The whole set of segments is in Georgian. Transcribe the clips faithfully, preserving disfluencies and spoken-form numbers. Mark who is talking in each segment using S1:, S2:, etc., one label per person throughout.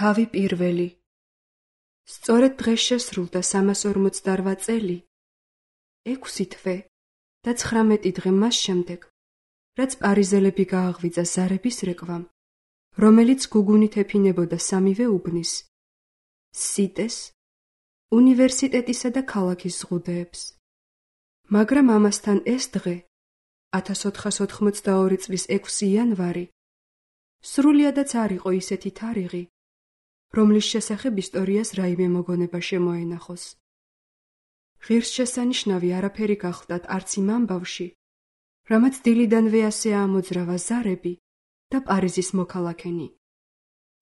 S1: თავი პირველი. სწორედ დღეს შესრულდა სამას ორმოცდაორვა წელი, ექვსი თვე და ცხრამეტი დღე მას შემდეგ, რაც პარიზელები გააღვიძა ზარების რეკვამ, რომელიც გუგუნით ეფინებოდა სამივე უბნის, სიტეს, უნივერსიტეტისა და ქალაქის ზღუდეებს. მაგრამ ამასთან ეს დღე, ათას ოთხას ოთხმოცდაორი წლის ექვსი იანვარი, სრულიადაც არ იყო ისეთი თარიღი, რომლის შესახებ ისტორიას რაიმე მოგონება შემოენახოს. ღირსშესანიშნავი არაფერი გახლდათ არც იმ ამბავში, რამაც დილიდანვე ასე ამოძრავა ზარები და პარიზის მოქალაქენი.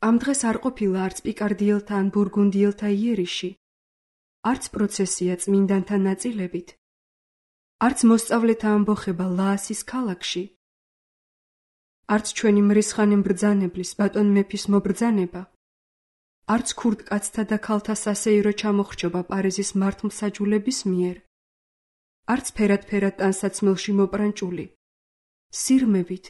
S1: ამ დღეს არ ყოფილა არც პიკარდიელთა ან ბურგუნდიელთა იერიში, არც პროცესია წმინდანთა ნაწილებით, არც მოსწავლეთა ამბოხება ლაასის ქალაქში, არც ჩვენი მრისხანე მბრძანებლის ბატონ მეფის მობრძანება, არც ქურდკაცთა და ქალთა სასეირო ჩამოხრჩობა პარიზის მართლმსაჯულების მიერ, არც ფერად-ფერად ტანსაცმელში მოპრანჭული, სირმებით,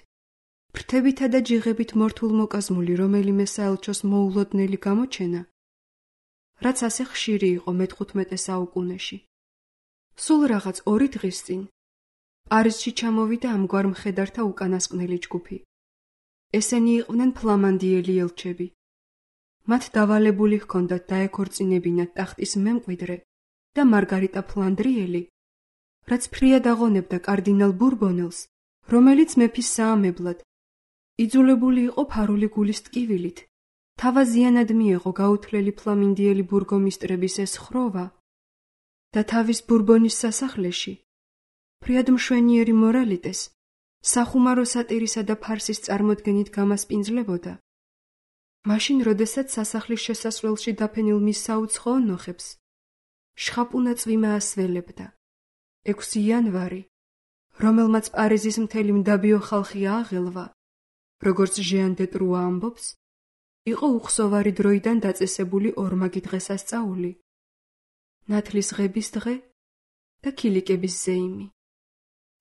S1: ფრთებითა და ჯიღებით მორთულ მოკაზმული რომელიმე საელჩოს მოულოდნელი გამოჩენა, რაც ასე ხშირი იყო მეთხუთმეტე საუკუნეში. სულ რაღაც ორი დღის წინ პარიზში ჩამოვიდა ამგვარ მხედართა უკანასკნელი ჯგუფი. ესენი იყვნენ ფლამანდიელი ელჩები. მათ დავალებული ჰქონდათ დაეკორწინებინათ ტახტის მემკვიდრე და მარგარიტა ფლანდრიელი, რაც ფრიად აღონებდა კარდინალ ბურბონელს, რომელიც მეფის საამებლად იძულებული იყო ფარული გულის ტკივილით, თავაზიანად მიეღო გაუთვლელი ფლამინდიელი ბურგომისტრების ეს ხროვა და თავის ბურბონის სასახლეში ფრიად მშვენიერი მორალიტეს სახუმარო სატირისა და ფარსის წარმოდგენით გამასპინძლებოდა. მაშინ, როდესაც სასახლის შესასვლელში დაფენილ მის საუცხოო ნოხებს შხაპუნა წვიმა ასველებდა. ექვსი იანვარი, რომელმაც პარიზის მთელი მდაბიო ხალხი ააღელვა, როგორც ჟიან დე ტრუა ამბობს, იყო უხსოვარი დროიდან დაწესებული ორმაგი დღესასწაული, ნათლის ღების დღე და ქილიკების ზეიმი.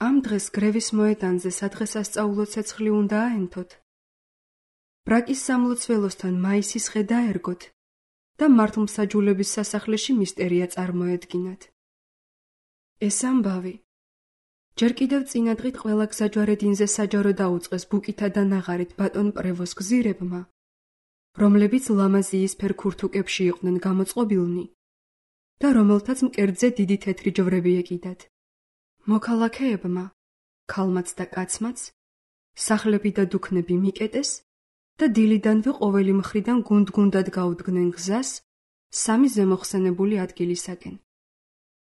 S1: ამ დღეს გრევის მოედანზე სადღესასწაულო ცეცხლი უნდა აენთოთ, ბრაკის სამლოცველოსთან მაისის ხე დაერგოთ და მართლმსაჯულების სასახლეში მისტერია წარმოედგინათ. ეს ამბავი ჯერ კიდევ წინადღით ყველა გზაჯვარედინზე საჯარო დაუწყეს ბუკითა და ნაღარით ბატონ პრევოს გზირებმა, რომლებიც ლამაზიის ფერ ქურთუკებში იყვნენ გამოწყობილნი და რომელთაც მკერდზე დიდი თეთრი ჯვრები ეკიდათ. მოქალაქეებმა, ქალმაც და კაცმაც, სახლები და დუქნები მიკეტეს და დილიდანვე ყოველი მხრიდან გუნდ-გუნდად გაუდგნენ გზას სამი ზემოხსენებული ადგილისაკენ.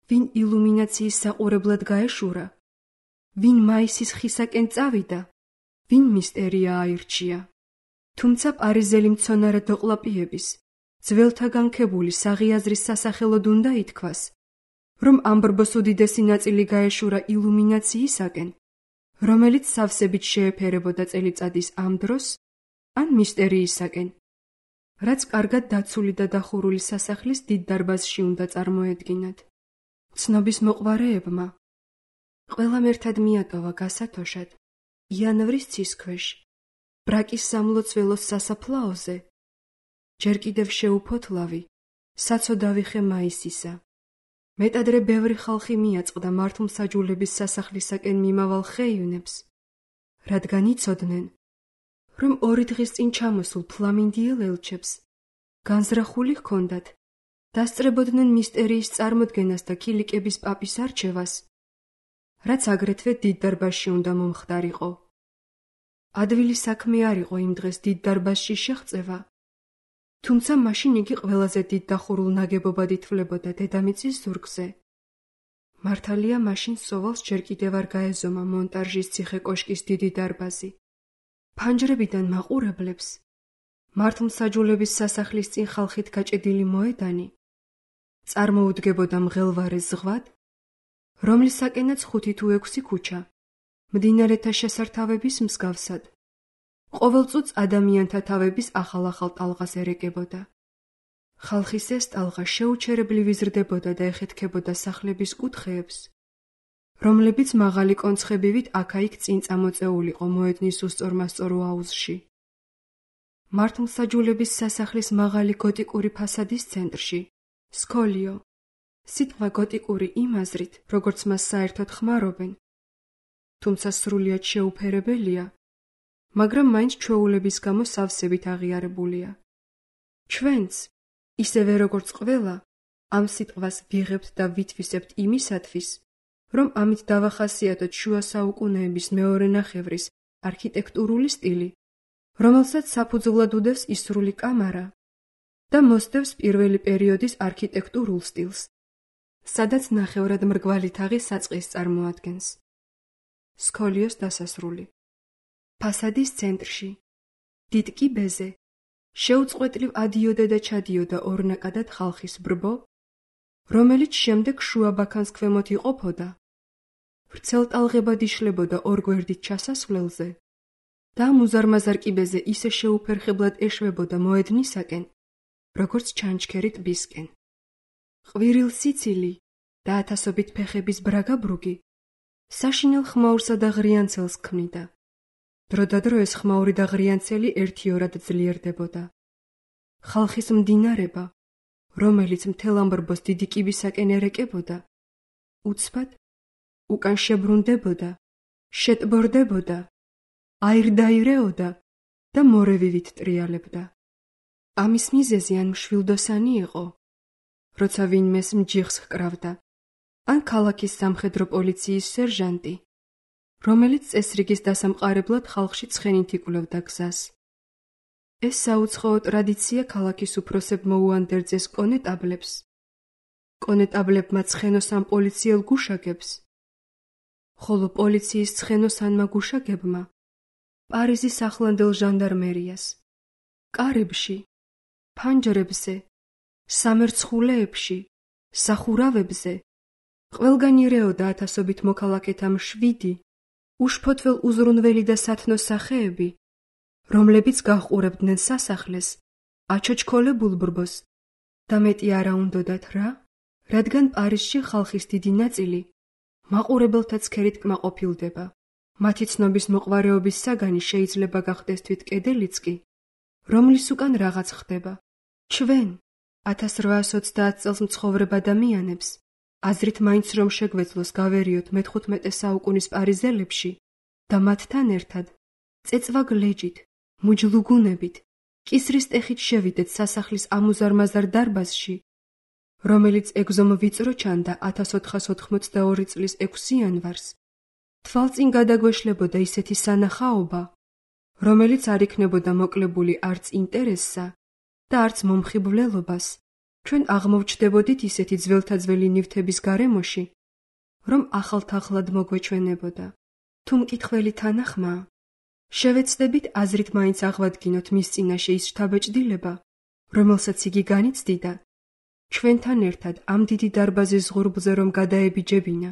S1: ვინ ილუმინაციის საყურებლად გაეშურა, ვინ მაისის ხისაკენ წავიდა, ვინ მისტერია აირჩია. თუმცა პარიზელი მცონარე დოყლაპიების, ძველთაგან ქებული საღიაზრის სასახელოდ უნდა ითქვას, რომ ამბრბოს უდიდესი ნაწილი გაეშურა ილუმინაციისაკენ, რომელიც სავსებით შეეფერებოდა წელიწადის ამ დროს, ან მისტერიისაკენ, რაც კარგად დაცული და დახურული სასახლის დიდ დარბაზში უნდა წარმოედგინათ. ცნობის მოყვარეებმა ყველამ ერთად მიატოვა გასათოშად იანვრის ცის ქვეშ, ბრაკის სამლოცველოს სასაფლაოზე, ჯერ კიდევ შეუფოთლავი, საცოდავი ხე მაისისა. მეტადრე ბევრი ხალხი მიაწყდა მართლმსაჯულების სასახლისაკენ მიმავალ ხეივნებს, რადგან იცოდნენ, რომ ორი დღის წინ ჩამოსულ ფლამინდიელ ელჩებს განზრახული ჰქონდათ, დასწრებოდნენ მისტერიის წარმოდგენას და ქილიკების პაპის არჩევას, რაც აგრეთვე დიდ დარბაზში უნდა მომხდარიყო. ადვილი საქმე არ იყო იმ დღეს დიდ დარბაზში შეღწევა, თუმცა მაშინ იგი ყველაზე დიდ დახურულ ნაგებობად ითვლებოდა დედამიწის ზურგზე. მართალია მაშინ სოვალს ჯერ კიდევ არ გაეზომა მონტარჟის ციხე-კოშკის დიდი დარბაზი. ფანჯრებიდან მაყურებლებს მართლმსაჯულების სასახლის წინ ხალხით გაჭედილი მოედანი წარმოუდგებოდა მღელვარე ზღვად, რომლისაკენაც ხუთი თუ ექვსი ქუჩა, მდინარეთა შესართავების მსგავსად, ყოველ წუთს ადამიანთა თავების ახალ-ახალ ტალღას ერეკებოდა. ხალხის ეს ტალღა შეუჩერებლივ იზრდებოდა და ეხეთქებოდა სახლების კუთხეებს, რომლებიც მაღალი კონცხებივით აქა-იქ წინ წამოწეულიყო მოედნის უსწორმასწორო აუზში. მართლმსაჯულების სასახლის მაღალი გოტიკური ფასადის ცენტრში, სკოლიო. სიტყვა გოტიკური იმ აზრით, როგორც მას საერთოდ ხმარობენ, თუმცა სრულიად შეუფერებელია, მაგრამ მაინც ჩვეულების გამო სავსებით აღიარებულია. ჩვენც, ისევე როგორც ყველა, ამ სიტყვას ვიღებთ და ვითვისებთ იმისათვის, რომ ამით დავახასიათოთ შუა საუკუნეების მეორე ნახევრის არქიტექტურული სტილი, რომელსაც საფუძვლად უდევს ისრული კამარა და მოსდევს პირველი პერიოდის არქიტექტურულ სტილს, სადაც ნახევრად მრგვალი თაღი საწყის წარმოადგენს. სკოლიოს დასასრული. ფასადის ცენტრში, დიდ კიბეზე, შეუწყვეტლივ ადიოდა და ჩადიოდა ორნაკადად ხალხის ბრბო, რომელიც შემდეგ შუა ბაქანს ქვემოთ იყოფოდა, ვრცელტალღებად იშლებოდა ორ გვერდით ჩასასვლელზე და მუზარმაზარ კიბეზე ისე შეუფერხებლად ეშვებოდა მოედნისაკენ, როგორც ჩანჩქერი ტბისკენ. ყვირილ სიცილი და ათასობით ფეხების ბრაგაბრუგი საშინელ ხმაურსა და ღრიანცელს ქმნიდა. დროდადრო ეს ხმაური და ღრიანცელი ერთიორად ძლიერდებოდა. ხალხის მდინარება, რომელიც მთელ ამ ბრბოს დიდი კიბისაკენ ერეკებოდა, უცბად უკან შებრუნდებოდა, შეტბორდებოდა, აირდაირეოდა და მორევივით ტრიალებდა. ამის მიზეზი ან მშვილდოსანი იყო, როცა ვინმეს მჯიხს ჰკრავდა, ან ქალაქის სამხედრო პოლიციის სერჟანტი, რომელიც წესრიგის დასამყარებლად ხალხში ცხენით იკვლევდა გზას. ეს საუცხოო ტრადიცია ქალაქის უფროსებმა უანდერძეს კონეტაბლებს, კონეტაბლებმა ცხენოს ან პოლიციელ გუშაგებს, ხოლო პოლიციის ცხენოსანმა გუშაგებმა პარიზის ახლანდელ ჟანდარმერიას, კარებში, ფანჯრებზე, სამერცხულეებში, სახურავებზე, ყველგან ირეოდა ათასობით მოქალაქეთა მშვიდი, უშფოთվել უზრუნველი და სათნო სახეები, რომლებიც გაჰყურებდნენ სასახლეს, აჩოჩქოლებულ ბრბოს და მეტი არა უნდოდათ რა, რადგან პარიზში ხალხის დიდი ნაწილი მაყურებელთა ცქერით კმაყოფილდება. მათი ცნობის მოყვარეობის საგანი შეიძლება გახდეს თვით კედელიც კი, რომლის უკან რაღაც ხდება. ჩვენ, ათას რვაას ოცდაათ წელს მცხოვრებ ადამიანებს, აზრით მაინც რომ შეგვეძლოს გავერიოთ მეთხუთმეტე საუკუნის პარიზელებში და მათთან ერთად წეწვაგ ლეჯით, მუჯლუგუნებით, კისრის ტეხით შევიდეთ სასახლის ამუზარმაზარ დარბაზში, რომელიც ეგზომ ვიწრო ჩანდა ათას ოთხას ოთხმოცდაორი წლის ექვსი იანვარს, თვალწინ გადაგვეშლებოდა ისეთი სანახაობა, რომელიც არ იქნებოდა მოკლებული არც ინტერესსა და არც მომხიბვლელობას, ჩვენ აღმოვჩნდებოდით ისეთი ძველთაძველი ნივთების გარემოში, რომ ახალთახლად მოგვეჩვენებოდა. თუ მკითხველი თანახმაა, შევეცდებით აზრით მაინც აღვადგინოთ მის წინაშე ის შთაბეჭდილება, რომელსაც იგი განიცდიდა, ჩვენთან ერთად ამ დიდი დარბაზის ზღურბლზე რომ გადაებიჯებინა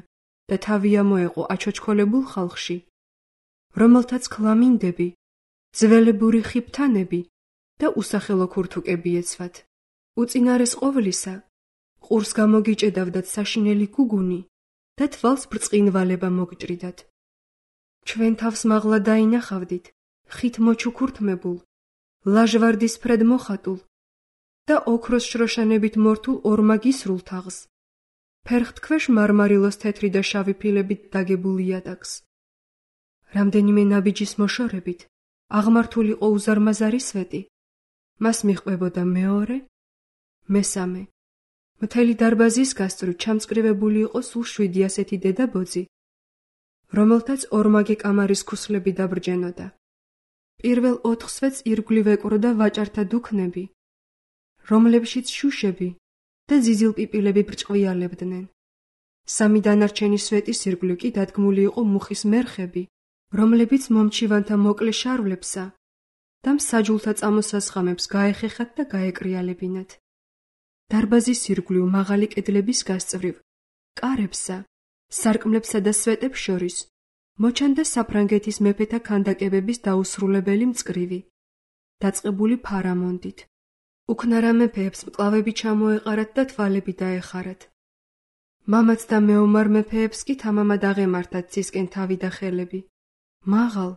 S1: და თავი ამოეყო აჩოჩქოლებულ ხალხში, რომელთაც ქლამინდები, ძველებური ხიფთანები და usახელო ქურთუკები ეცვათ. უწინარეს ყოვლისა, ყურს გამოგიჭედავდათ საშინელი გუგუნი და თვალს ბრწყინვალება მოგჭრიდათ. ჩვენ თავს მაღლა დაინახავდით, ხით მოჩუქურთმებულ, ლაჟვარდისფრად მოხატულ და ოქროს შროშანებით მორთულ ორმაგისრულ თაღს, ფერხთქვეშ მარმარილოს თეთრი და შავი ფილებით დაგებულ იატაკს. რამდენიმე ნაბიჯის მოშორებით აღმართულიყო უზარმაზარი სვეტი, მას მიჰყვებოდა მეორე, მესამე. მთელი დარბაზის გასწვრივ ჩამწკრივებული იყო სულ შვიდი ასეთი დედაბოძი, რომელთაც ორმაგი კამარის ქუსლები დაბრჯენოდა. პირველ ოთხ სვეტს ირგვლივ ეკვროდა ვაჭართა დუქნები, რომლებშიც შუშები და ზიზილპიპილები ბრჭყვიალებდნენ. სამი დანარჩენი სვეტის ირგვლივ კი დადგმული იყო მუხის მერხები, რომლებიც მომჩივანთა მოკლე შარვლებსა და მსაჯულთა წამოსასხამებს გაეხეხათ და გაეკრიალებინათ. დარბაზის ირგვლივ მაღალი კედლების გასწვრივ, კარებსა, სარკმლებსა და სვეტებს შორის მოჩანდა საფრანგეთის მეფეთა ქანდაკებების დაუსრულებელი მწკრივი, დაწყებული ფარამონდით. უქნარა მეფეებს მკლავები ჩამოეყარათ და თვალები დაეხარათ. მამაც და მეომარ მეფეებს კი თამამად აღემართათ ცისკენ თავი და ხელები. მაღალ,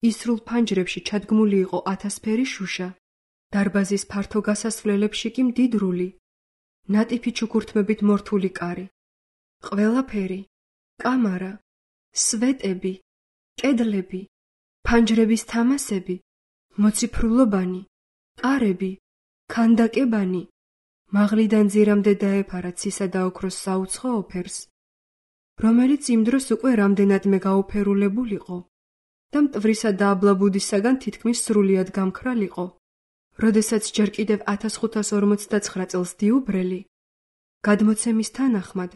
S1: ისრულ ფანჯრებში ჩადგმული იყო ათასფერი შუშა, დარბაზის ფართო გასასვლელებში კი მდიდრული, ნატიფი ჩუქურთმებით მორთული კარი. ყველაფერი, კამარა, სვეტები, კედლები, ფანჯრების თამასები, მოციფრულობანი, კარები, ქანდაკებანი, მაღლიდან ძირამდე დაეფარა ცისა და ოქროს საუცხო ოფერს, რომელიც იმ დროს უკვე რამდენადმე გაუფერულებულიყო და მტვრისა და აბლაბუდისაგან თითქმის სრულიად გამქრალიყო, როდესაც ჯერ კიდევ ათას ხუთას ორმოცდაცხრა წელს დიუბრელი, გადმოცემის თანახმად,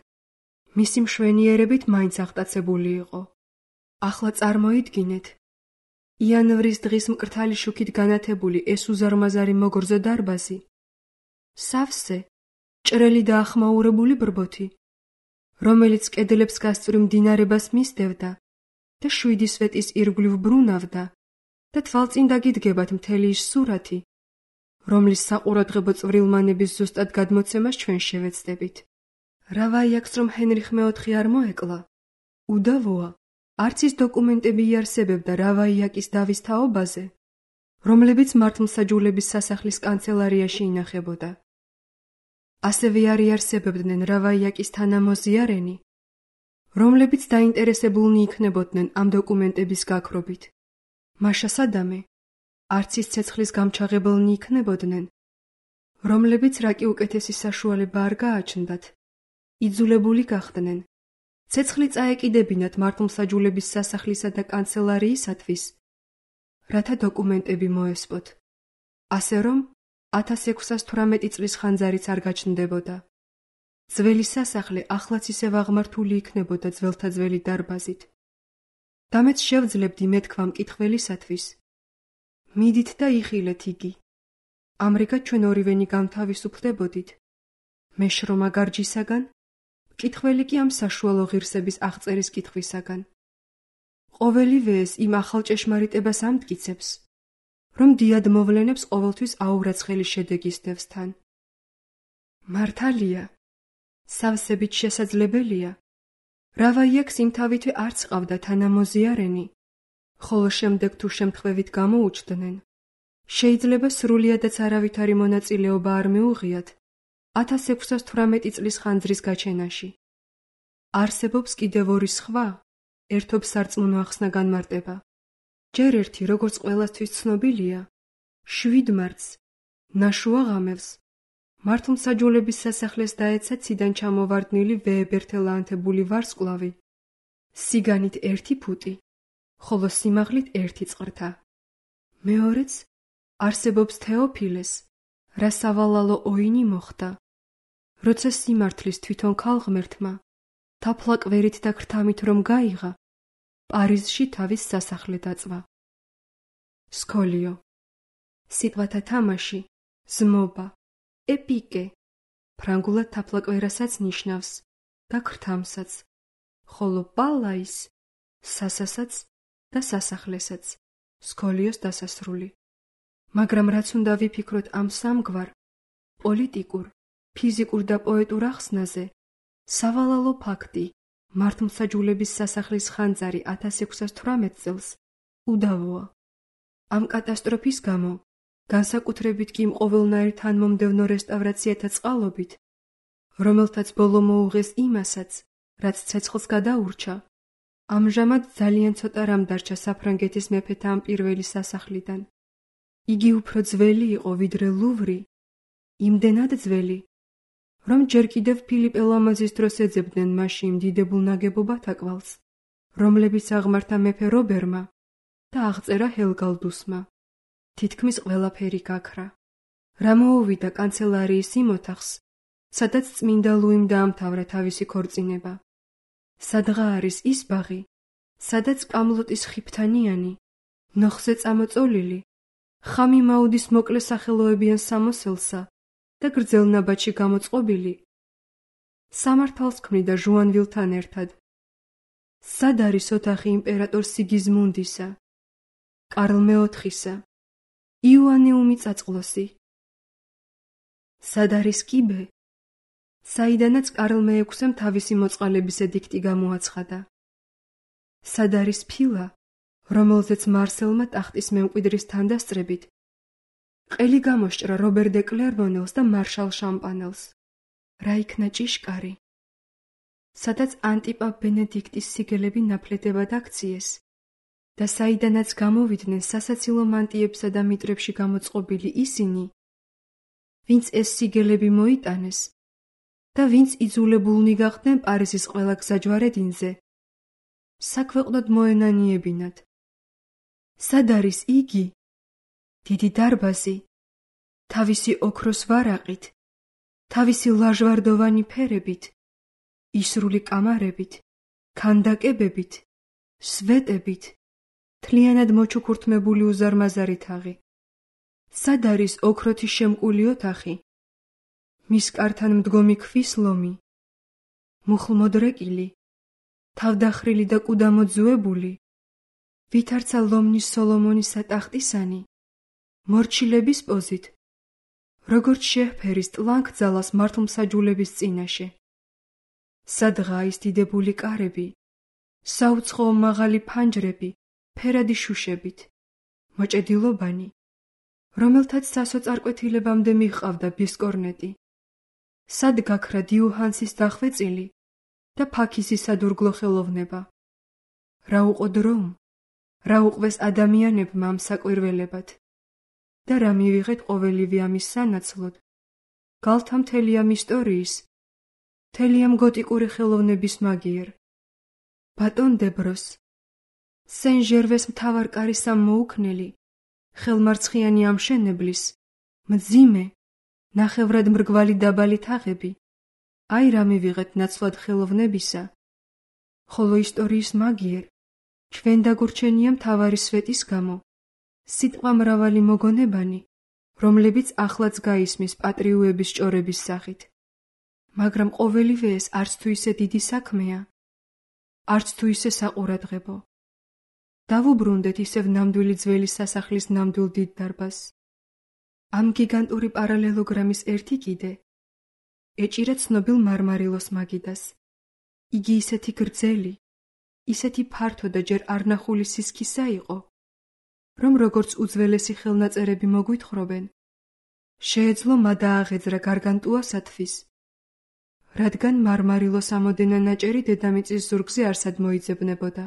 S1: მისი მშვენიერებით მაინც აღტაცებული იყო. ახლა წარმოიდგინეთ, იანვრის დღის მკრთალი შუქით განათებული ეს უზარმაზარი მოგრძო დარბაზი, სავსე, ჭრელი და ახმაურებული ბრბოთი, რომელიც კედლებს გასწვრივ მდინარებას მისდევდა და შვიდი სვეტის ირგვლივ ბრუნავდა და თვალწინ დაგიდგებათ მთელი ის სურათი, რომლის საყურადღებო წვრილმანების ზუსტად გადმოცემას ჩვენ შევეცდებით. რა ვაიაქს, რომ ჰენრიხ მეოთხე არ მოეკლა? უდავოა, არც ის დოკუმენტები იარსებებდა რა ვაიაკის დავის თაობაზე, რომლებიც მართლმსაჯულების სასახლის კანცელარიაში ინახებოდა. ასევე არ იარსებებდნენ რა ვაიაკის თანამოზიარენი, რომლებიც დაინტერესებულნი იქნებოდნენ ამ დოკუმენტების გაქრობით. მაშა სადამე, არც ის ცეცხლის გამჩაღებელნი იქნებოდნენ, რომლებიც რაკი უკეთესი საშუალება არ გააჩნდათ, იძულებული გახდნენ, ცეცხლი წაეკიდებინათ მართლმსაჯულების სასახლისა და კანცელარიისათვის, რათა დოკუმენტები მოესპოთ, ასე რომ ათას ექვსას თვრამეტი წლის ხანძარიც არ გაჩნდებოდა. ძველი სასახლე ახლაც ისევ აღმართული იქნებოდა ძველთა ძველი დარბაზით. და მეც შევძლებდი მეთქვა მკითხველისათვის, მიდით და იხილეთ იგი. ამრიგად ჩვენ ორივენი გამთავისუფლდებოდით, მე შრომა გარჯისაგან, მკითხველი კი ამ საშუალო ღირსების აღწერის კითხვისაგან. ყოველივე ეს იმ ახალ ჭეშმარიტებას ამტკიცებს, რომ დიად მოვლენებს ყოველთვის აურაცხელი შედეგი სდევს თან. მართალია, სავსებით შესაძლებელია, რა ვაიაქს იმთავითვე არც ყავდა თანამოზიარენი, ხოლო შემდეგ თუ შემთხვევით გამოუჩდნენ, შეიძლება სრულიადაც არავითარი მონაწილეობა არ მიუღიათ ათას ექვსას თვრამეტი წლის ხანძრის გაჩენაში. არსებობს კიდევ ორი სხვა, ერთობ სარწმუნო ახსნა განმარტება. ჯერ ერთი, როგორც ყველასთვის ცნობილია, შვიდ მარტს, ნაშუა ღამევს, მართლმსაჯულების სასახლეს დაეცა ციდან ჩამოვარდნილი ვეებერთელაანთებული ვარსკვლავი, სიგანით ერთი ფუტი, ხოლო სიმაღლით ერთი წყრთა. მეორეც, არსებობს თეოფილეს, რა სავალალო ოინი მოხდა, როცა სიმართლის თვითონ ქალღმერთმა, თაფლაკვერით და ქრთამით რომ გაიღა, პარიზში თავის სასახლე დაწვა. სკოლიო. სიტყვათა თამაში, ზმობა, ეპიკე, ფრანგულად თაფლაკვერასაც ნიშნავს და ქრთამსაც, ხოლო პალაის, სასასაც და სასახლესაც, სკოლიოს დასასრული. მაგრამ რაც უნდა ვიფიქროთ ამ სამგვარ, პოლიტიკურ, ფიზიკურ და პოეტურ ახსნაზე, სავალალო ფაქტი, მართლმსაჯულების სასახლის ხანძარი ათას ექვსას თვრამეტ წელს, უდავოა. ამ კატასტროფის გამო, განსაკუთრებით კი იმ ყოველნაირ თანმომდევნო რესტავრაციათა წყალობით, რომელთაც ბოლო მოუღეს იმასაც, რაც ცეცხლს გადაურჩა, ამჟამად ძალიან ცოტა რამ დარჩა საფრანგეთის მეფეთა ამ პირველი სასახლიდან. იგი უფრო ძველი იყო ვიდრე ლუვრი, იმდენად ძველი, რომ ჯერ კიდევ ფილიპე ლამაზის დროს ეძებდნენ მასში იმ დიდებულ ნაგებობათა კვალს, რომლებიც აღმართა მეფე რობერმა და აღწერა ჰელგალდუსმა. თითქმის ყველაფერი გაქრა. რა მოუვიდა კანცელარიის იმ ოთახს, სადაც წმინდა ლუიმ დაამთავრა თავისი ქორწინება. სადღა არის ის ბაღი, სადაც კამლოტის ხიფთანიანი, ნოხზე წამოწოლილი, ხამი მაუდის მოკლე სახელოებიან სამოსელსა და გრძელ ნაბაჩი გამოწყობილი, სამართალს ქმნიდა ჟუანვილთან ერთად. სად არის ოთახი იმპერატორ სიგიზმუნდისა, კარლ მეოთხისა, იოანეუმი წაწყლოსი? სად არის კიბე, საიდანაც კარლ მეექვსემ თავისი მოწყალების ედიქტი გამოაცხადა? სად არის ფილა, რომელზეც მარსელმა ტახტის მემკვიდრის თანდასწრებით ყელი გამოსჭრა რობერ დე კლერმონელს და მარშალ შამპანელს. რა იქნა ჭიშკარი? სადაც ანტიპა ბენედიქტის სიგელები ნაფლედებად აქციეს და საიდანაც გამოვიდნენ სასაცილო მანტიებსა და მიტრებში გამოწყობილი ისინი, ვინც ეს სიგელები მოიტანეს და ვინც იძულებულნი გახდნენ პარიზის ყველა გზაჯვარედინზე საქვეყნოდ მოენანიებინათ. სად არის იგი? დიდი დარბაზი, თავისი ოქროს ვარაყით, თავისი ლაჟვარდოვანი ფერებით, ისრული კამარებით, ქანდაკებებით, სვეტებით, თლიანად მოჩუქურთმებული უზარმაზარი თაღი. სად არის ოქროთი შემკული ოთახი, მის კართან მდგომი ქვის ლომი, მუხლმოდრეკილი, თავდახრილი და კუდამოძუებული, ვითარცა ლომნის სოლომონის ტახტისანი, მორჩილების პოზით, როგორც შეჰფერის ტლანქძალას მართლმსაჯულების წინაშე. სადღა ის დიდებული კარები, საუცხოო მაღალი ფანჯრები, ფერადი შუშებით, მოჭედილობანი, რომელთაც სასოწარკვეთილებამდე მიჰყავდა ბისკორნეტი. სად გაქრა დიუჰანსის დახვეწილი და ფაქიზის სადურგლო ხელოვნება? რა უყო დრომ, რა უყვეს ადამიანებმა ამ საკვირველებად და რა მივიღეთ ყოველივე ამის სანაცვლოდ? გალთა მთელი ამ ისტორიის, მთელი ამ გოტიკური ხელოვნების მაგიერ. ბატონ დებროს, სენ ჟერვეს მთავარ კარის ამ მოუქნელი, ხელმარცხიანი ამშენებლის, მძიმე, ნახევრად მრგვალი დაბალი თაღები, აი რა მივიღეთ ნაცვლად ხელოვნებისა, ხოლო ისტორიის მაგიერ, ჩვენ დაგურჩენია მთავარი სვეტის გამო, სიტყვა მრავალი მოგონებანი, რომლებიც ახლაც გაისმის პატრიუების ჭორების სახით. მაგრამ ყოველივე ეს არც თუ ისე დიდი საქმეა, არც თუ ისე საყურადღებო. დავუბრუნდეთ ისევ ნამდვილი ძველი სასახლის ნამდვილ დიდ დარბაზს. ამ გიგანტური პარალელოგრამის ერთი კიდე ეჭირა ცნობილ მარმარილოს მაგიდას. იგი ისეთი გრძელი, ისეთი ფართო და ჯერ არნახული სისქისა იყო, რომ როგორც უძველესი ხელნაწერები მოგვითხრობენ, შეეძლო მადააღეძრა გარგანტუასათვის, რადგან მარმარილოს ამოდენა ნაჭერი დედამიწის ზურგზე არსად მოიძებნებოდა.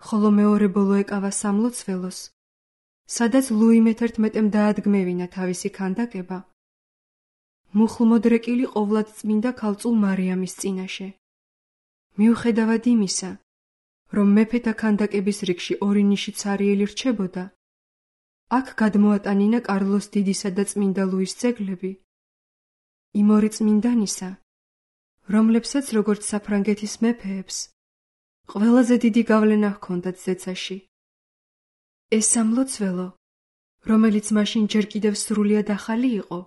S1: ხოლო მეორე ბოლო ეკავა სამლოცველოს, სადაც ლუი მეთერთმეტემ დაადგმევინა თავისი ქანდაკება, მუხლმოდრეკილი ყოვლად წმინდა ქალწულ მარიამის წინაშე. მიუხედავად იმისა, რომ მეფეთა ქანდაკების რიგში ორი ნიში ცარიელი რჩებოდა, აქ გადმოატანინა კარლოს დიდისა და წმინდა ლუის ძეგლები, იმ ორი წმინდანისა, რომლებსაც როგორც საფრანგეთის მეფეებს ყველაზე დიდი გავლენა ჰქონდათ ზეცაში. ეს სამლოცველო, რომელიც მაშინ ჯერ კიდევ სრულიად ახალი იყო,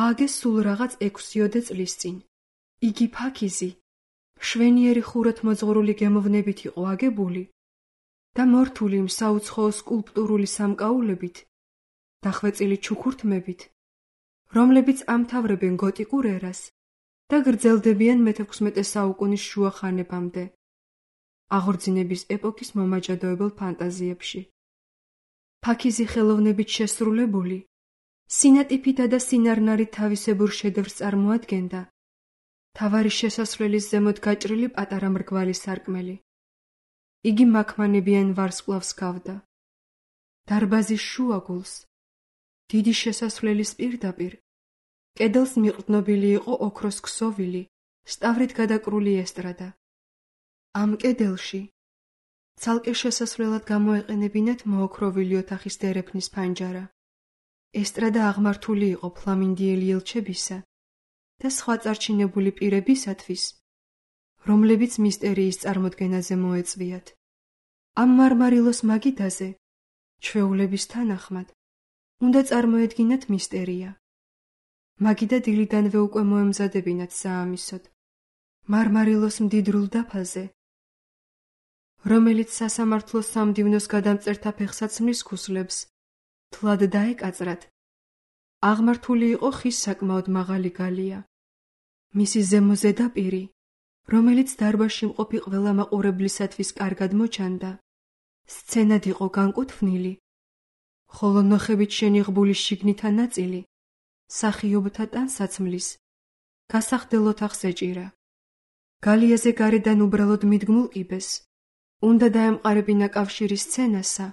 S1: ააგეს სულ რაღაც ექვსიოდე წლის წინ. იგი ფაქიზი, შვენიერი ხუროთმოძღვრული მოძღვრული გემოვნებით იყო აგებული და მორთული იმ საუცხოო სკულპტურული სამკაულებით, დახვეწილი ჩუქურთმებით, რომლებიც ამთავრებენ გოტიკურ ერას და გრძელდებიან მეთექვსმეტე საუკუნის შუა ხანებამდე, აღორძინების ეპოქის მომაჯადოებელ ფანტაზიებში. ფაქიზი ხელოვნებით შესრულებული, სინატიფითა და სინარნარით თავისებურ შედევრს წარმოადგენდა მთავარი შესასვლელის ზემოთ გაჭრილი პატარა მრგვალი სარკმელი. იგი მაქმანებიან ვარსკვლავს ჰგავდა. დარბაზის შუაგულს, დიდი შესასვლელის პირდაპირ, კედელს მიყრდნობილი იყო ოქროს ქსოვილი, სტავრით გადაკრული ესტრადა. ამ კედელში ცალკე შესასვლელად გამოეყენებინათ მოოქროვილი ოთახის დერეფნის ფანჯარა. ესტრადა აღმართული იყო ფლამინდიელი ელჩებისა და სხვა წარჩინებული პირებისათვის, რომლებიც მისტერიის წარმოდგენაზე მოეწვიათ. ამ მარმარილოს მაგიდაზე, ჩვეულების თანახმად, უნდა წარმოედგინათ მისტერია. მაგიდა დილიდანვე უკვე მოემზადებინათ საამისოდ. მარმარილოს მდიდრულ დაფაზე, რომელიც სასამართლოს სამდივნოს გადამწერთა ფეხსაცმლის ქუსლებს თლად დაეკაწრათ, აღმართული იყო ხის საკმაოდ მაღალი გალია. მისი ზემო ზედაპირი, რომელიც დარბაზში მყოფი ყველა მაყურებლისათვის კარგად მოჩანდა, სცენად იყო განკუთვნილი, ხოლო ნოხებით შენიღბული შიგნითა ნაწილი მსახიობთა ტანსაცმლის გასახდელ ოთახს ეჭირა. გალიაზე გარედან უბრალოდ მიდგმულ კიბეს უნდა დაემყარებინა კავშირი სცენასა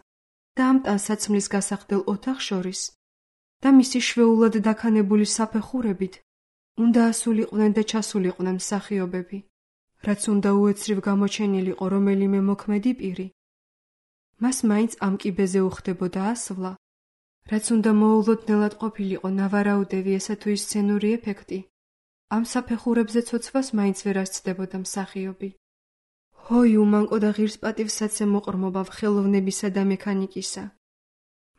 S1: და ამ ტანსაცმლის გასახდელ ოთახს შორის და მისი შვეულად დაქანებული საფეხურებით უნდა ასულიყვნენ და ჩასულიყვნენ მსახიობები, რაც უნდა უეცრივ გამოჩენილიყო რომელიმე მოქმედი პირი. მას მაინც ამ კიბეზე უხდებოდა ასვლა, რაც უნდა მოულოდნელად ყოფილიყო ნავარაუდევი ესა თუ ის სცენური ეფექტი. ამ საფეხურებზე ცოცვას მაინც ვერ ასწდებოდა მსახიობი. ჰოი უმანკო და ღირს პატივსაცემ მოყრმობა ხელოვნებისა და მექანიკისა.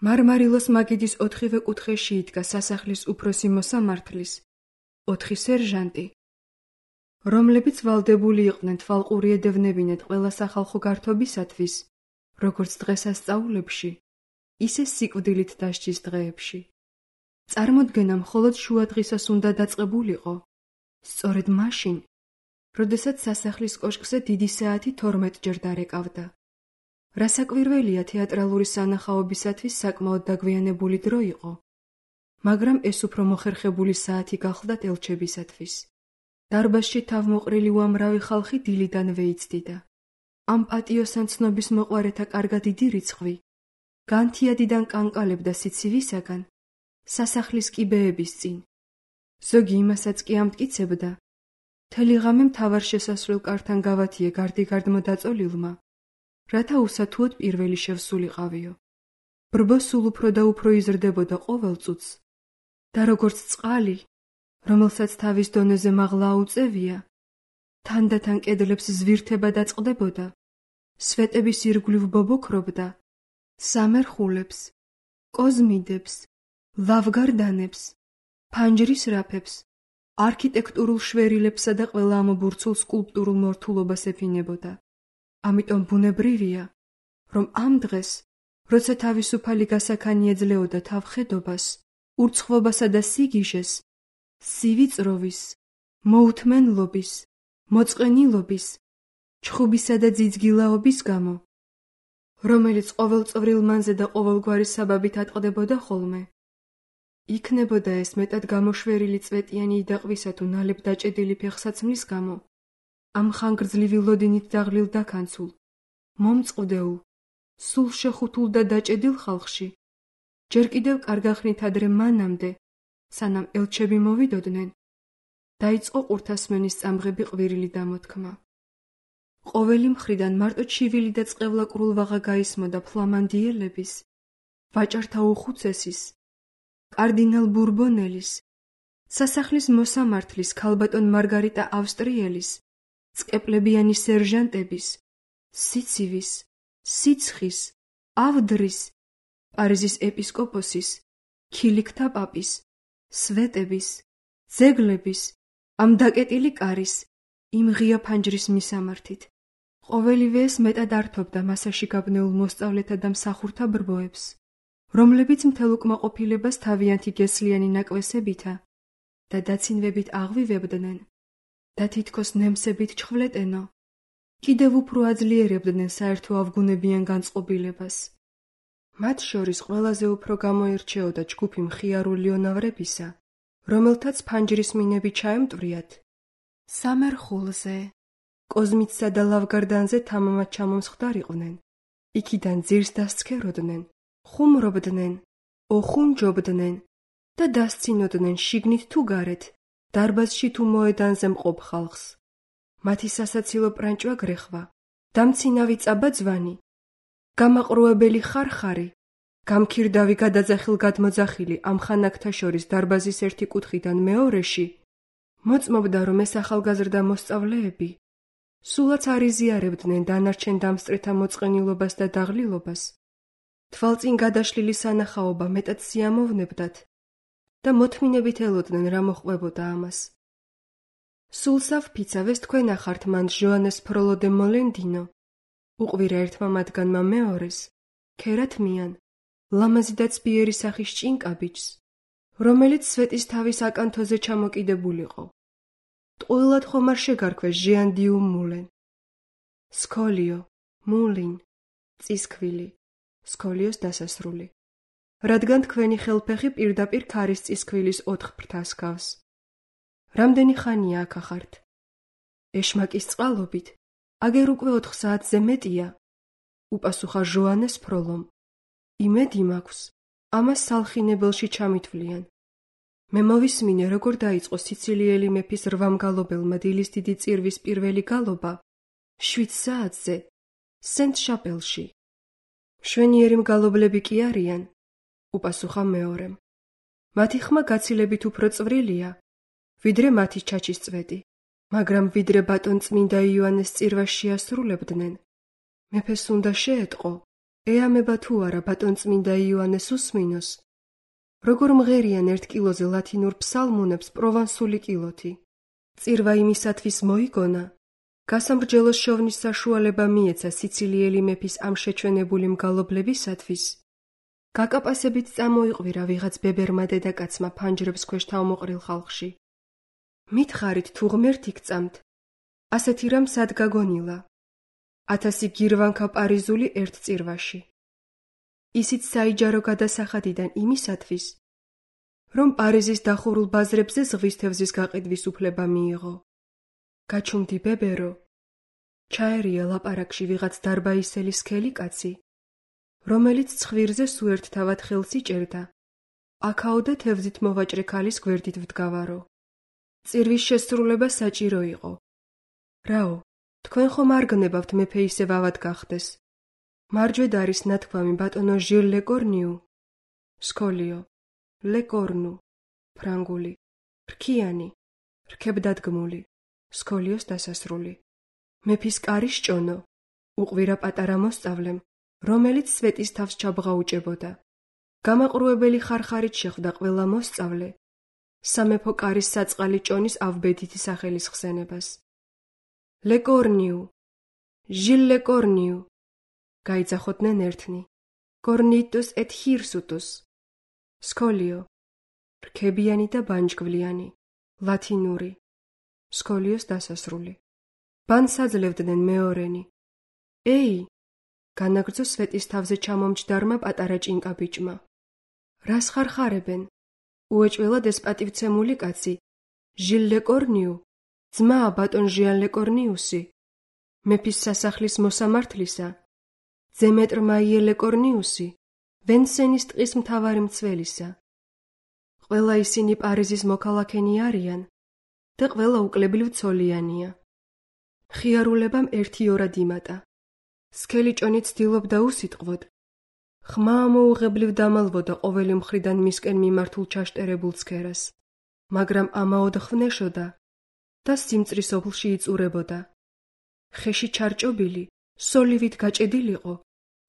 S1: მარმარილოს მაგიდის ოთხივე კუთხეში იდგა სასახლის უფროსი მოსამართლის ოთხი სერჟანტი, რომლებიც ვალდებული იყვნენ თვალყური ედევნებინათ ყველა სახალხო გართობისათვის, როგორც დღესასწაულებში, ისე სიკვდილით დასჯის დღეებში. წარმოდგენა მხოლოდ შუადღისას უნდა დაწყებულიყო, სწორედ მაშინ, როდესაც სასახლის კოშკზე დიდი საათი თორმეტჯერ დარეკავდა. რასაკვირველია, თეატრალური სანახაობისათვის საკმაოდ დაგვიანებული დრო იყო, მაგრამ ეს უფრო მოხერხებული საათი გახლდათ ელჩებისათვის. დარბაზში თავმოყრილი უამრავი ხალხი დილიდანვე იცდიდა. ამ პატიოსან ცნობის მოყვარეთა კარგად დიდი რიცხვი განთიადიდან კანკალებდა სიცივისაგან სასახლის კიბეების წინ. ზოგი იმასაც კი ამტკიცებდა, მთელი ღამე მთავარ შესასვლელ კართან გავათიე გარდიგარდმო დაწოლილმა, რათა უსათუოდ პირველი შევსულიყავიო. ბრბო სულ უფრო და უფრო იზრდებოდა ყოველ წუთს და როგორც წყალი, რომელსაც თავის დონეზე მაღლა აუწევია, თანდათან კედლებს ზვირთება დაწყდებოდა, სვეტების ირგვლივ ბობოქრობდა, სამერხულებს, კოზმიდებს, ლავგარდანებს, ფანჯრის რაფებს, არქიტექტურულ შვერილებსა და ყველა ამობურცულ სკულპტურულ მორთულობას ეფინებოდა. ამიტომ ბუნებრივია, რომ ამ დღეს, როცა თავისუფალი გასაქანი ეძლეოდა თავხედობას, ურცხვობასა და სიგიჟეს, სივიწროვის, მოუთმენლობის, მოწყენილობის, ჩხუბისა და ძიძგილაობის გამო, რომელიც ყოველწოვრილ მანზე და ყოველგვარი საბაბით ატყდებოდა ხოლმე, იქნებოდა ეს მეტად გამოშვერილი წვეტიანი იდაყვისა თუ ნალებ დაჭედილი ფეხსაცმლის გამო, ამ ხანგრძლივი ლოდინით დაღლილ დაქანცულ, მომწყვდეულ, სულ შეხუთულ და დაჭედილ ხალხში, ჯერ კიდევ კარგახნით ადრე მანამდე, სანამ ელჩები მოვიდოდნენ, დაიწყო ყურთასმენის წამღები ყვირილი დამოთქმა. ყოველი მხრიდან მარტო ჩივილი და წყევლა კრულვაღა გაისმოდა ფლამანდიელების, ვაჭართა უხუცესის, კარდინალ ბურბონელის, სასახლის მოსამართლის ქალბატონ მარგარიტა ავსტრიელის, წყეპლებიანი სერჟანტების, სიცივის, სიცხის, ავდრის, პარიზის ეპისკოპოსის, ქილიქთა პაპის, სვეტების, ძეგლების, ამ დაკეტილი კარის, იმ ღია ფანჯრის მისამართით. ყოველივე ეს მეტად ართობდა მასაში გაბნეულ მოსწავლეთა და მსახურთა ბრბოებს, რომლებიც მთელ უკმაყოფილებას თავიანთი გესლიანი ნაკვესებითა და დაცინვებით აღვივებდნენ და თითქოს ნემსებით ჩხვლეტენო, კიდევ უფრო აძლიერებდნენ საერთო ავგუნებიან განწყობილებას. მათ შორის ყველაზე უფრო გამოირჩეოდა ჯგუფი მხიარული ონავრებისა, რომელთაც ფანჯრის მინები ჩაემტვრიათ სამერხულზე, კოზმიცსა და ლავგარდანზე თამამად ჩამომსხვდარიყვნენ, იქიდან ძირს დასცქეროდნენ, ხუმრობდნენ, ოხუნჯობდნენ და დასცინოდნენ შიგნით თუ გარეთ, დარბაზში თუ მოედანზე მყოფ ხალხს. მათი სასაცილო პრანჭვა გრეხვა, დამცინავი წაბაძვანი, გამაყრუებელი ხარხარი, გამქირდავი გადაძახილ გადმოძახილი ამ ხანაკთა შორის დარბაზის ერთი კუთხიდან მეორეში, მოწმობდა, რომ ეს ახალგაზრდა მოსწავლეები სულაც არ იზიარებდნენ დანარჩენ დამსწრეთა მოწყენილობას და დაღლილობას, თვალწინ გადაშლილი სანახაობა მეტად სიამოვნებდათ და მოთმინებით ელოდნენ რა მოჰყვებოდა ამას. სულსავ ფიცავეს თქვენ ახართ მან ჟოანეს ფროლო დე მოლენდინო, უყვირა ერთმა მათგანმა მეორეს, ქერათმიან, ლამაზი და ცბიერი სახის ჭინკაბიჯს, რომელიც სვეტის თავის აკანთოზე ჩამოკიდებულიყო. ტყუილად ხომ არ შეგარქვეს ჟიან დიუ მულენ. სკოლიო, მულინ, წისქვილი, სქოლიოს დასასრული. რადგან თქვენი ხელფეხი პირდაპირ ქარის წისქვილის ოთხ ფრთას გავს. რამდენი ხანია აქ ახართ? ეშმაკის წყალობით, აგერ უკვე ოთხ საათზე მეტია, უპასუხა ჟოანეს ფროლომ. იმედი მაქვს, ამას სალხინებელში ჩამითვლიან. მე მოვისმინე, როგორ დაიწყო სიცილიელი მეფის რვამგალობელმა დილის დიდი წირვის პირველი გალობა, შვიდ საათზე, სენტ შაპელში. მშვენიერი მგალობლები კი არიან, უპასუხა მეორემ. მათი ხმა გაცილებით უფრო წვრილია, ვიდრე მათი ჩაჩის წვეტი, მაგრამ ვიდრე ბატონწმინდა იოანეს წირვას შეასრულებდნენ, მეფეს უნდა შეეტყო, ეამება თუ არა ბატონწმინდა იოანეს უსმინოს, როგორ მღერიან ერთ კილოზე ლათინურ ფსალმუნებს პროვანსული კილოთი. წირვა იმისათვის მოიგონა, გასამრჯელოს შოვნის საშუალება მიეცა სიცილიელი მეფის ამ შეჩვენებული მგალობლებისათვის, გაკაპასებით წამოიყვირა ვიღაც ბებერმა დედაკაცმა ფანჯრებს ქვეშ თავმოყრილ ხალხში. მითხარით თუ ღმერთი გწამთ, ასეთი რამ სად გაგონილა? ათასი გირვანქა პარიზული ერთ წირვაში. ისიც საიჯარო გადასახადიდან იმისათვის, რომ პარიზის დახურულ ბაზრებზე ზღვის თევზის გაყიდვის უფლება მიიღო. გაჩუმდი ბებერო, ჩაერია ლაპარაკში ვიღაც დარბაისელი სქელი კაცი, რომელიც ცხვირზე სუერთთავად ხელს იჭერდა, აქაოდე თევზით მოვაჭრე ქალის გვერდით ვდგავარო. წირვის შესრულება საჭირო იყო. რაო, თქვენ ხომ არ გნებავთ მეფე ისევ ავად გახდეს? მარჯვედ არის ნათქვამი ბატონო ჟილ ლეკორნიუ. სქოლიო, ლეკორნუ, ფრანგული, რქიანი, რქებდადგმული, სქოლიოს დასასრული. მეფის კარი სჭონო, უყვირა პატარა მოსწავლემ, რომელიც სვეტის თავს ჩაბღაუჭებოდა. გამაყრუებელი ხარხარით შეხვდა ყველა მოსწავლე, სამეფო კარის საწყალი ჭონის ავბედითი სახელის ხსენებას. ლეკორნიუ, ჟილ ლეკორნიუ, გაიძახოდნენ ერთნი. კორნიტუს ეთ ჰირსუტუს. სქოლიო, რქებიანი და ბანჯგვლიანი, ლათინური, სქოლიოს დასასრული. ბანს აძლევდნენ მეორენი. ეი, განაგრძო სვეტის თავზე ჩამომჯდარმა პატარა ჭინკა ბიჭმა. რას ხარხარებენ? უეჭველად ეს პატივცემული კაცი, ჟილ ლეკორნიუ, ძმაა ბატონ ჟიან ლეკორნიუსი, მეფის სასახლის მოსამართლისა, ძემეტრ მაიე ლეკორნიუსი, ვენსენის ტყის მთავარი მცველისა. ყველა ისინი პარიზის მოქალაქენი არიან და ყველა უკლებლივ ცოლიანია. ხიარულებამ ერთი ორად იმატა. სქელი ჭონი ცდილობდა უსიტყვოდ. ხმა ამოუღებლივ დამალვოდა ყოველი მხრიდან მისკენ მიმართულ ჩაშტერებულ ცქერას, მაგრამ ამაოდ ხვნეშოდა და სიმწრის ოფლში იწურებოდა. ხეში ჩარჭობილი, სოლივით გაჭედილიყო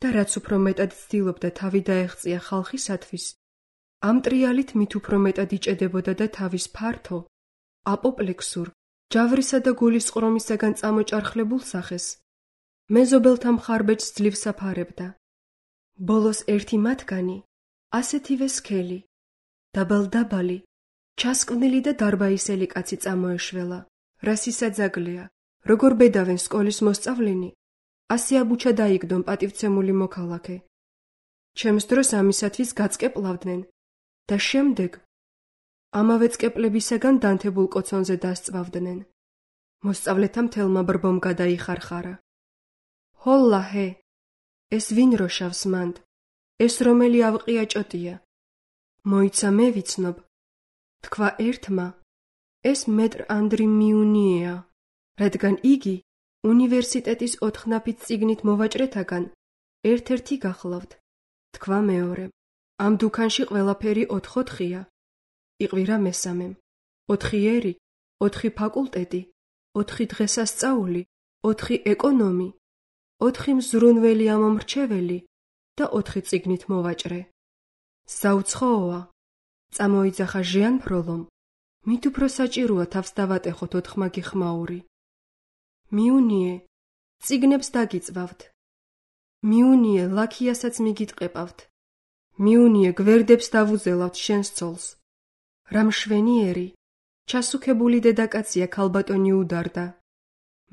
S1: და რაც უფრო მეტად ცდილობდა თავი დაეღწია ხალხისათვის, ამ ტრიალით მით უფრო მეტად იჭედებოდა და თავის ფართო, აპოპლექსურ, ჯავრისა და გულისწყრომისაგან წამოჭარხლებულ სახეს მეზობელთა მხარბეჭს ძლივ საფარებდა. ბოლოს ერთი მათგანი, ასეთივე სქელი, დაბალ-დაბალი, ჩასკვნილი და დარბაისელი კაცი წამოეშველა, რას ისაძაგლია, როგორ ბედავენ სკოლის მოსწავლენი, ასე აბუჩა დაიგდონ პატივცემული მოქალაქე. ჩემს დროს ამისათვის გაწკეპლავდნენ და შემდეგ ამავე წკეპლებისაგან დანთებულ კოცონზე დასწვავდნენ. მოსწავლეთა მთელმა ბრბომ გადაიხარხარა. ჰოლა ჰე, ეს ვინ როშავს მანდ, ეს რომელი ავყია ჭოტია. მოიცა მე ვიცნობ, თქვა ერთმა, ეს მეტრ ანდრი მიუნიეა, რადგან იგი უნივერსიტეტის ოთხნაფით წიგნით მოვაჭრეთაგან ერთ-ერთი გახლავთ. თქვა მეორემ, ამ დუქანში ყველაფერი ოთხ-ოთხია. იყვირა მესამემ, ოთხი ერი, ოთხი ფაკულტეტი, ოთხი დღესასწაული, ოთხი ეკონომი, ოთხი მზრუნველი ამომრჩეველი და ოთხი წიგნით მოვაჭრე. საუცხოოა, წამოიძახა ჟიან ფროლომ, მით უფრო საჭიროა თავს დავატეხოთ ოთხმაგი ხმაური. მიუნიე, წიგნებს დაგიწვავთ. მიუნიე, ლაქიასაც მიგიტყეპავთ. მიუნიე, გვერდებს დავუზელავთ შენს ცოლს. რა მშვენიერი, ჩასუქებული დედაკაცია ქალბატონი უდარდა.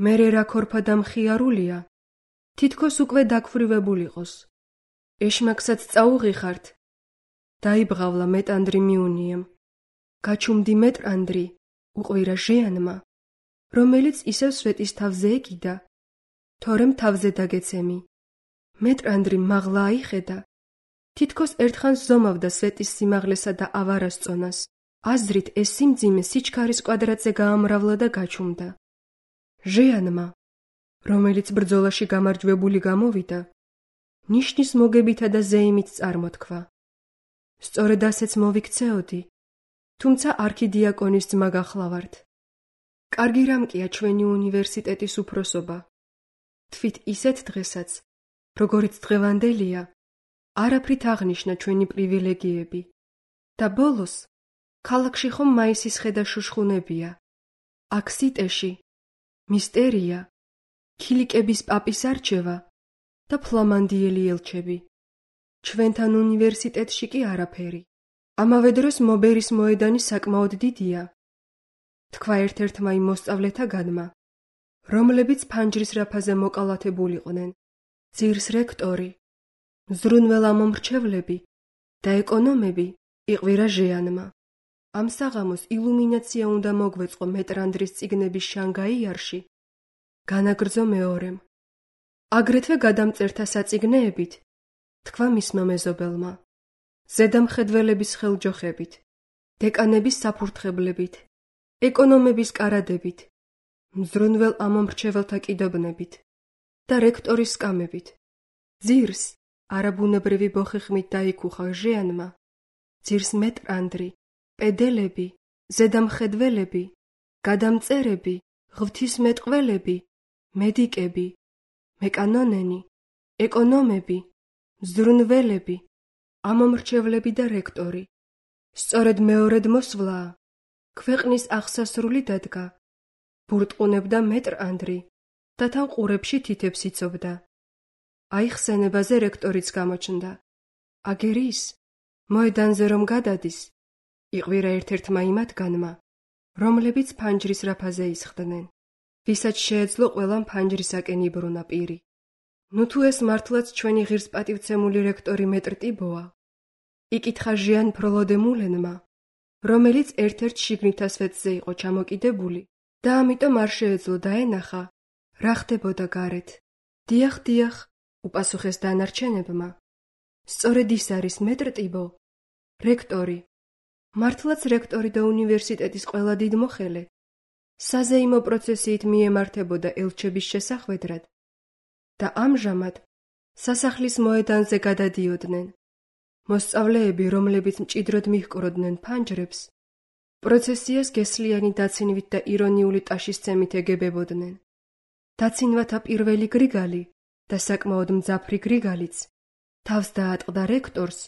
S1: მერე რა ქორფა და მხიარულია, თითქოს უკვე დაგფრივებულიყოს. ეშმაკსაც წაუღიხართ. დაიბღავლა მეტანდრი მიუნიემ. გაჩუმდი მეტრანდრი, უყვირა ჟიანმა, რომელიც ისევ სვეტის თავზე ეკიდა, თორემ თავზე დაგეცემი. მეტრანდრი მაღლა აიხედა. თითქოს ერთხანს ზომავდა სვეტის სიმაღლესა და ავარასწონას. აზრით ეს სიმძიმე სიჩქარის კვადრატზე გაამრავლა და გაჩუმდა. ჟიანმა, რომელიც ბრძოლაში გამარჯვებული გამოვიდა, ნიშნის მოგებითა და ზეიმით წარმოთქვა. სწორედ ასეც მოვიქცეოდი, თუმცა არქიდიაკონის ძმა გახლავართ. კარგი რამკია ჩვენი უნივერსიტეტის უფროსობა. თვით ისეთ დღესაც, როგორიც დღევანდელია, არაფრით აღნიშნა ჩვენი პრივილეგიები. და ბოლოს, ქალაქში ხომ მაისის ხედა შუშხუნებია. აქ სიტეში, მისტერია, ქილიკების პაპის არჩევა და ფლამანდიელი ელჩები. ჩვენთან უნივერსიტეტში კი არაფერი. ამავე დროს მობერის მოედანი საკმაოდ დიდია. თქვა ერთ-ერთმა იმ მოსწავლეთაგანმა, რომლებიც ფანჯრის რაფაზე მოკალათებულიყვნენ. ძირს რექტორი, მზრუნველამომრჩევლები და ეკონომები იყვირა ჟიანმა. ამ საღამოს ილუმინაცია უნდა მოგვეწყო მეტრანდრის წიგნების შანგაიარში, განაგრძო მეორემ. აგრეთვე გადამწერთა საწიგნეებით, თქვა მისმა მეზობელმა, ზედამხედველების ხელჯოხებით, დეკანების საფურთხებლებით, ეკონომების კარადებით, მზრუნველ ამომრჩეველთა კიდობნებით და რექტორის სკამებით. ძირს არაბუნებრივი ბოხი-ხმით დაიკუხა ჟიანმა, ძირს მეტრანდრი, პედელები, ზედამხედველები, გადამწერები, ღვთისმეტყველები, მედიკები, მეკანონენი, ეკონომები, მზრუნველები, ამომრჩევლები და რექტორი. სწორედ მეორედ მოსვლაა, ქვეყნის აღსასრული დადგა, ბურტყუნებდა მეტრანდრი და თან ყურებში თითებს იცობდა. აიხსენებაზე რექტორიც გამოჩნდა. აგერ ის, მოედანზე რომ გადადის, იყვირა ერთ-ერთმა იმათგანმა, რომლებიც ფანჯრის რაფაზე ისხდნენ. ვისაც შეეძლო ყველამ ფანჯრისაკენ იბრუნა პირი. ნუ თუ ეს მართლაც ჩვენი ღირსპატივცემული რექტორი მეტრ ტიბოა, იკითხა ჟიან ფროლოდემულენმა, რომელიც ერთ-ერთ შიგნითა სვეტზე იყო ჩამოკიდებული და ამიტომ არ შეეძლო დაენახა, რა ხდებოდა გარეთ. დიახ, დიახ, უპასუხეს დანარჩენებმა. სწორედ ის არის მეტრ ტიბო, რექტორი. მართლაც რექტორი და უნივერსიტეტის ყველა დიდმოხელე საზეიმო პროცესიით მიემართებოდა ელჩების შესახვედრად და ამჟამად სასახლის მოედანზე გადადიოდნენ. მოსწავლეები, რომლებიც მჭიდროდ მიჰკროდნენ ფანჯრებს, პროცესიას გესლიანი დაცინვით და ირონიული ტაშისცემით ეგებებოდნენ. დაცინვათა პირველი გრიგალი და საკმაოდ მძაფრი გრიგალიც თავს დაატყდა რექტორს,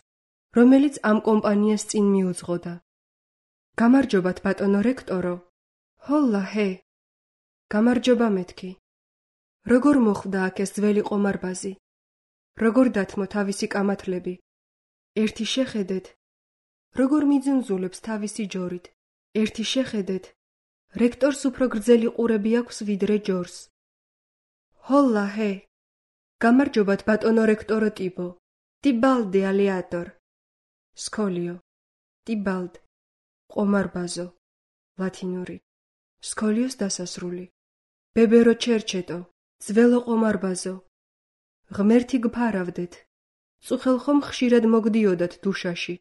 S1: რომელიც ამ კომპანიას წინ მიუძღოდა. გამარჯობათ, ბატონო რექტორო. ჰოლა, ჰე. გამარჯობა მეთქი. როგორ მოხვდა აქ ეს ძველი ყომარბაზი? როგორ დათმო თავისი კამათლები? ერთი შეხედეთ, როგორ მიძუნძულებს თავისი ჯორით. ერთი შეხედეთ, რექტორს უფრო გრძელი ყურები აქვს ვიდრე ჯორს. ჰოლა, ჰე. გამარჯობათ, ბატონო რექტორო ტიბო. ტიბალდი ალიატორ. სკოლიო. ტიბალდ. ყომარბაზო. ლათინური. სკოლიოს დასასრული. ბებერო ჩერჩეტო. ძველო ყომარბაზო. ღმერთი გფარავდეთ. წუხელ ხომ ხშირად მოგდიოდათ დუშაში.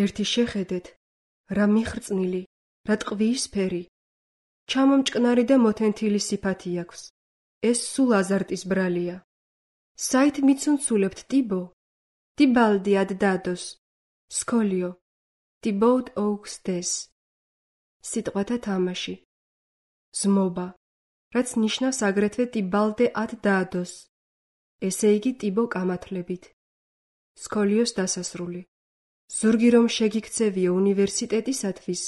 S1: ერთი შეხედეთ, რა მიხრწნილი, რა ტყვიისფერი. ჩამომჭკნარი და მოთენთილი სიფათი აქვს. ეს სულ აზარტის ბრალია. საით მიცუნცულებთ ტიბო? ტიბალდი ad dados. სკოლიო. ტიბოუდ ოუქს დეს. სიტყვათა თამაში. ზმობა, რაც ნიშნავს აგრეთვე ტიბალდე ad dados. ესე იგი ტიბო კამათლებით. სკოლიოს დასასრული. ზურგი რომ შეგიქცევიო უნივერსიტეტისათვის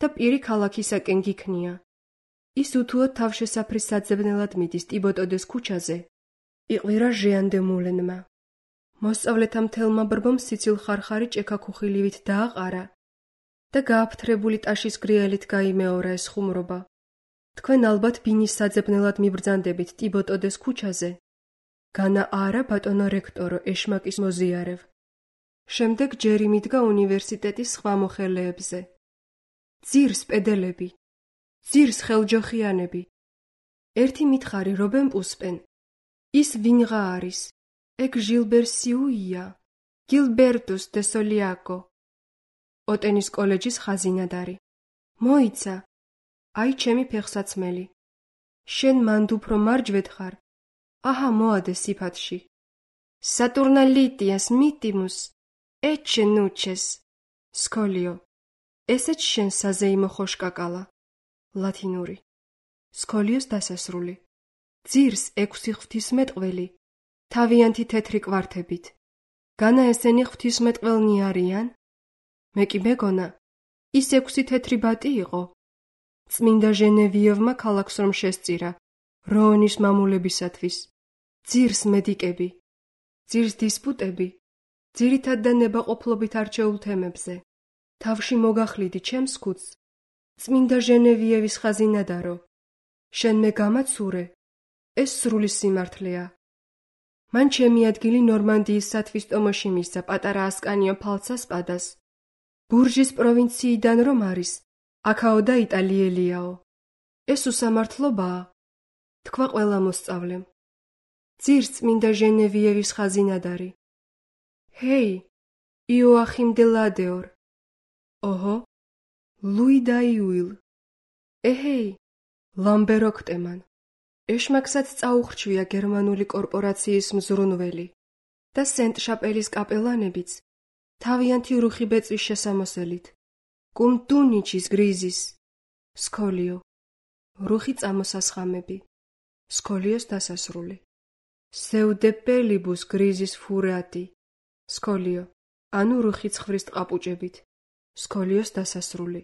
S1: და პირი ქალაქისაკენ გიქნია. ის უთუოდ თავშესაფრის საძებნელად მიდის ტიბოტოდეს ქუჩაზე, იყვირა ჟეანდემულენმა. მოსწავლეთა მთელმა ბრბომ სიცილ ხარხარი ჭექაქუხილივით დააყარა და გააფთრებული ტაშის გრიელით გაიმეორა ეს ხუმრობა. თქვენ ალბათ ბინის საძებნელად მიბრძანდებით ტიბოტოდეს ქუჩაზე განა არა ბატონო რექტორო, ეშმაკის მოზიარევ. შემდეგ ჯერი მიდგა უნივერსიტეტის სხვა მოხელეებზე. ძირს პედელები, ძირს ხელჯოხიანები. ერთი მითხარი რობენ პუსპენ. ის ვინღა არის? ეგ ჟილბერ სიუია, გილბერტუს დე სოლიაკო. ოტენის კოლეჯის ხაზინადარი. მოიცა, აი ჩემი ფეხსაცმელი. შენ მანდ უფრო მარჯვედ ხარ. აჰა მოადე სიფათში. სატურნალიტიას მიტიმუს, ეჩე ნუჩეს. სკოლიო. ესეც შენ საზეიმო ხოშკაკალა. ლათინური. სკოლიოს დასასრული. ძირს ექვსი ღვთისმეტყველი, თავიანთი თეთრი კვართებით. განა ესენი ღვთისმეტყველნი არიან? მე კი მეგონა, ის ექვსი თეთრი ბატი იყო. წმინდა ჟენევიევმა ქალაქს რომ შესწირა, როონის მამულებისათვის. ძირს მედიკები, ძირს დისპუტები, ძირითად და ნებაყოფლობით არჩეულ თემებზე. თავში მოგახლიდი ჩემს ქუდს, წმინდა ჟენევიევის ხაზინადარო. შენ მე გამაცურე, ეს სრული სიმართლეა. მან ჩემი ადგილი ნორმანდიის სათვისტომოში მისცა პატარა ასკანიო ფალცასპადას. ბურჟის პროვინციიდან რომ არის, აქაო და იტალიელიაო. ეს უსამართლობაა, თქვა ყველა მოსწავლემ. ძირს წმინდა ჟენევიევის ხაზინადარი. ჰეი, იოახიმ დე ლადეორ. ოჰო, ლუი დაიუილ. ეჰეი, ლამბერ ოქტემან. ეშმაკსაც წაუხრჩვია გერმანული კორპორაციის მზრუნველი და სენტ შაპელის კაპელანებიც თავიანთი რუხი ბეწვის შესამოსელით. კუმტუნიჩის გრიზის. სკოლიო. რუხი წამოსასხამები. სკოლიოს დასასრული. სევდეპელიბუს გრიზის ფურატი. სკოლიო. ანუ რუხი ცხვრის ტყაპუჭებით. სკოლიოს დასასრული.